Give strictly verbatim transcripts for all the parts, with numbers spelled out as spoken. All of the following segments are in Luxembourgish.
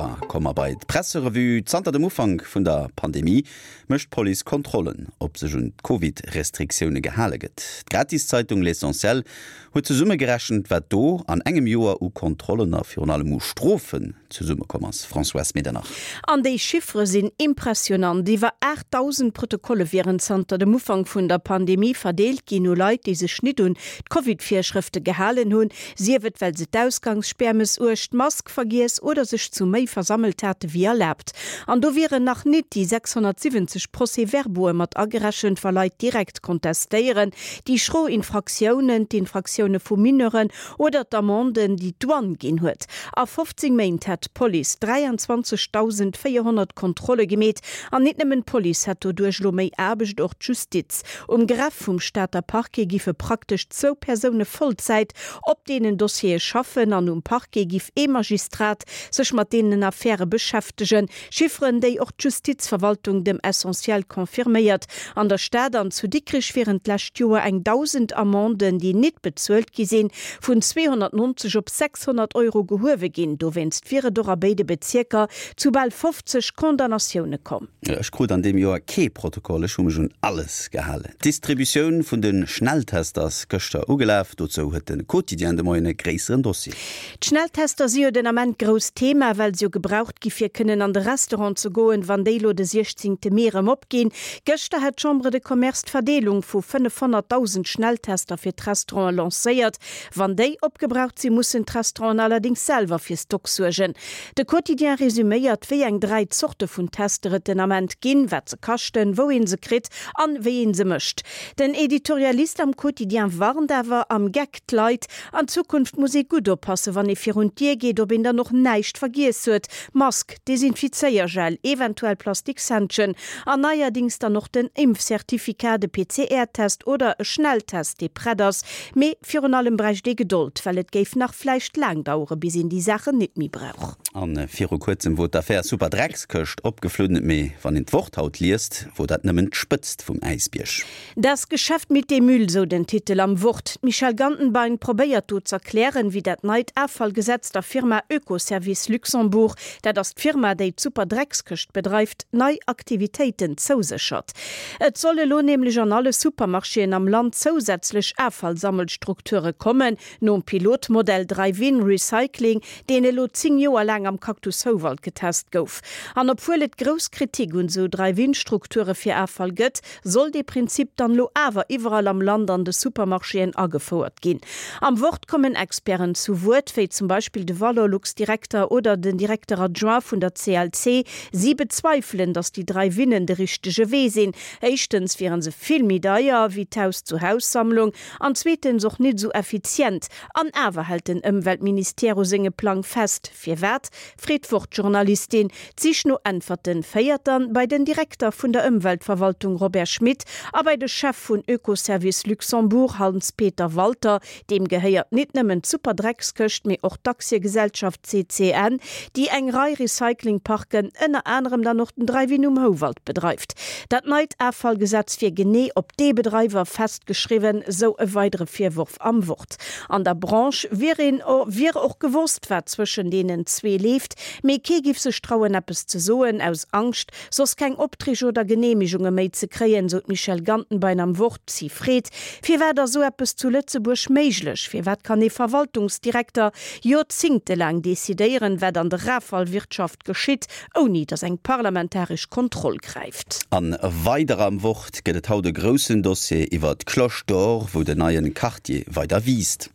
Da komme mer bei d'Presserevue. Zanter dem Ufank vun der Pandemie mécht d'Police Kontrollen, ob sech un d'Covid-Restriktioune gehale gëtt. D'Gratiszeitung L'Essentiel huet zesummegerechent, wat do an engem Joer u Kontrollen a virun allem u Strofen zesummekomm ass. Françoise Medernach. An déi Chiffere sinn impressionant. Iwwer aachtdausend Protokolle wieren zanter dem Ufank vun der Pandemie verdeelt ginn u Leit, déi sech nit un d'Covid-Virschrëfte gehalen hunn, sief et well se d'Ausgangsspär mëssuecht, d'Mask vergiess oder sech zu méi versammelt hate wéi erlaabt. An do wieren nach nit déi sechshonnertsiwwenzeg Procès-verbaue mat agerechent, wa Leit direkt kontestéieren, déi schro Infraktiounen, d'Infraktioune vu Mineuren oder d'Amenden, déi d'Douane ginn huet. A fofzéng Méint hätt d'Police dräianzwanzegdausendvéierhonnert Kontrolle gemeet. An nit nëmmen d'Police hätt doduerch elo méi Aarbecht, och d'Justiz. Um Greffe vum Stater Parquet giffe praktesch zwou Persoune Vollzäit op deenen Dossiere schaffen an um Parquet giff ee Magistrat sech mat deenen Affäre beschäftegen. Chifferen, déi och d'Justizverwaltung dem Essentiel confirméiert. An der Stad an zu Dikrech wieren d'lescht Joer eng dausend Amenden, déi nit bezuelt gi sinn, vun zweehonnertnonzeg op sechshonnert Euro gehuewe ginn. Dowéinst wier et och a béide Bezierker zu bal fofzeg Condamnatioune komm. Ech krut an deem Joer kee Protokoll, ech hu mech un alles gehalen. D'Distributioun vun de Schnelltester ass gëschter ugelaf. Dozou huet de Quotidien de Moien e gréisseren Dossier. D'Schnelltester si jo den Ament grousst Thema, well se jo gebraucht gi fir kënnen an de Restaurant ze goen, wann déi lo de siechzéngte Mee erëm opginn. Gëschter hat d'Chambre de Commerce d'Verdeelung vu fënnefhonnertdausend Schnelltester fir d'Restauranten lancéiert. Wann déi opgebraucht sinn, mussen d'Restauranten allerdéngs selwer fir Stock suergen. De Quotidien resuméiert, wéi eng dräi Zorte vun Tester et den Ament ginn, wat se kaschten, wou ee se kritt an wéi ee se mécht. Den Editorialist am Quotidien warnt awer am Geck d'Leit, An Zukunft muss ee gutt oppassen, wann ee virun d'Dier geet, ob een dann och näischt vergiess huet, Mask, Desinfizéiergel, eventuell Plastikshändschen an neierdings dann och den Impfcertificat, de P C R-Test oder e Schnelltest, dee prett ass. Mee virun allem bräicht ee Gedold, well et géif nach vläicht laang dauere bis een déi Saachen nit méi brauch. A viru kuerzem wor d'Affär Superdreckskëscht opgeflunn, mee wann een d'Wort haut liest, wor dat nëmmen d'Spëtzt vum Äisbierg. Das Geschäft mit dem Müll, sou den Titel am Wort. D'Michèle Gantenbein probéiert do z'erklären, wéi dat neit Offallgesetz der Firma Ökoservice Luxembourg, dat ass d'Firma, déi d'Superdreckskëscht bedreift, nei Aktivitéiten zouséchert. Et solle lo nämlech an alle Supermarchéen am Land zousätzlech Offallsammelstrukture kommen, nom Pilotmodell Drive-In Recycling, deen elo zéng Joer laang am Cactus Houwald getest gouf. An obwuel et grouss Kritik un sou Drive-In-Strukture fir Offall gëtt, soll dee Prinzip dann lo awer iwwerall am Land an de Supermarchéen agefouert ginn. Am Wort kommen Experten zu Wuert, wéi zum Beispill de Valorlux-Direkter oder den Directeur adjoint vun der C L C. Si bezweifelen, datt déi Drive-Innen de richtege Wee sinn. Éischtens wiere se vill méi deier wéi d'Haus-zu-Haus-Sammlung an zweetens och nit sou effizient. An awer hält den Ëmweltministère u sengem Plang fest. Firwat? Freet d'Wort-Journalistin. D'Sich no Äntwerte féiert dann bei den Direkter vun der Ëmweltverwaltung Robert Schmit a bei de Chef vun Ökoservice Luxembourg Hans-Peter Walter. Deem gehéiert nit nëmmen d'Superdreckskëscht, mee och d'Aktiegesellschaft C C N, déi eng Rei Recyclingparken, ënner anerem dann och den Drive-In um Houwald bedreift. Dat neit Offallgesetz wier genee op déi Bedreiwer festgeschriwwen, sou e weidere Virworf am Wort. An der Branche wier een wier och gewosst, wat zwëschen deenen zwee leeft, mee kee giff sech trauen eppes ze soen, aus Angscht, soss keng Opträg oder Geneemegunge méi ze kréien, sou d'Michèle Gantenbein am Wort. Si freet, Firwat ass sou eppes zu Lëtzebuerg méiglech? Firwat kann ee Verwaltungsdirekter joerzéngtelaang decidéieren, wat an der Offallwirtschaft geschitt, ouni datt eng parlamentaresch Kontroll gräift? An weider am Wort gëtt et haut e groussen Dossier iwwer d'Cloche d'Or, wou den neien Quartier weider wiisst.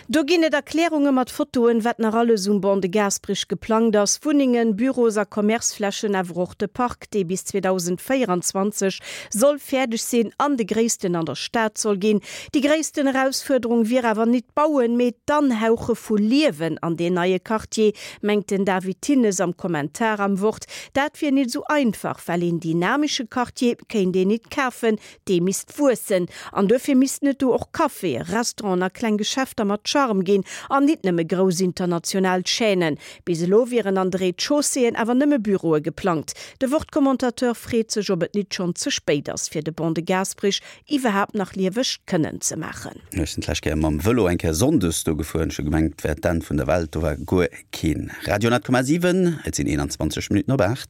Do ginn et Erklärunge mat Fotoen, wat nach alles um Ban de Gasperich geplangt ass, Wunnengen, Büros a Commerceflächen, awer och de Park, dee bis zweedausendvéieranzwanzeg soll fäerdeg sinn an de gréissten an der Stad soll ginn. Déi gréissten Erausfuerderung wier awer nit d'Bauen, mee d'Anhauche vu Liewen an deen neie Quartier, mengt den David Thinnes am Kommentar am Wort. Dat wier nit sou einfach, well een dynamesche Quartier kéint een nit kafen, dee misst wuessen. An dofir missten et do och Caféen, Restauranten a kleng Geschäfter Geschäfter mat Charme ginn an nit nëmme grouss international Chaînen. Bis elo wieren an de Rez-de-chausséeën awer nëmme Büroe geplangt. De Wort-Commentateur freet sech, ob et nit schonn ze spéit ass fir de Ban de Gasperich iwwerhaapt nach lieweg kënnen ze maachen. Ech sinn d'lescht Kéier mam Vëlo eng Kéier sonndes do gefuer, ech hu gemengt et wär d'Enn vun der Welt, do war guer keen. Radio honnert Komma siwen, et sinn eenanzwanzeg Minutten op aacht.